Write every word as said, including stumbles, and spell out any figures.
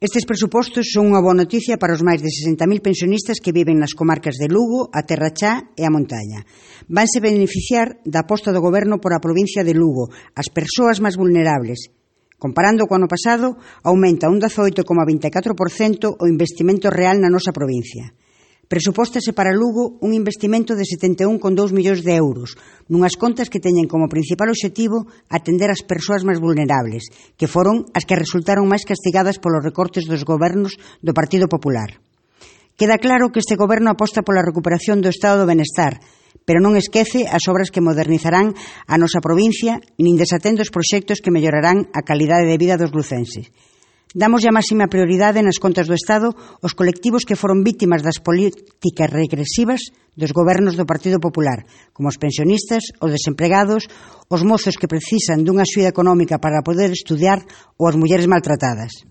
Estes presupostos son unha boa noticia para os máis de sesenta mil pensionistas que viven nas comarcas de Lugo, a Terra Chá e a Montaña. Vanse beneficiar da aposta do Goberno por a provincia de Lugo, as persoas máis vulnerables. Comparando co ano pasado, aumenta un dezaoito coma vinte e catro por cento o investimento real na nosa provincia. Presupóstase para Lugo un investimento de setenta e un coma dous millóns de euros, nunhas contas que teñen como principal obxectivo atender as persoas máis vulnerables, que foron as que resultaron máis castigadas polos recortes dos gobernos do Partido Popular. Queda claro que este goberno aposta pola recuperación do estado do benestar, pero non esquece as obras que modernizarán a nosa provincia, nin desatende os proxectos que mellorarán a calidade de vida dos lucenses. Damos a máxima prioridade nas contas do Estado os colectivos que foron vítimas das políticas regresivas dos gobernos do Partido Popular, como os pensionistas, os desempregados, os mozos que precisan dunha axuda económica para poder estudiar ou as mulleres maltratadas.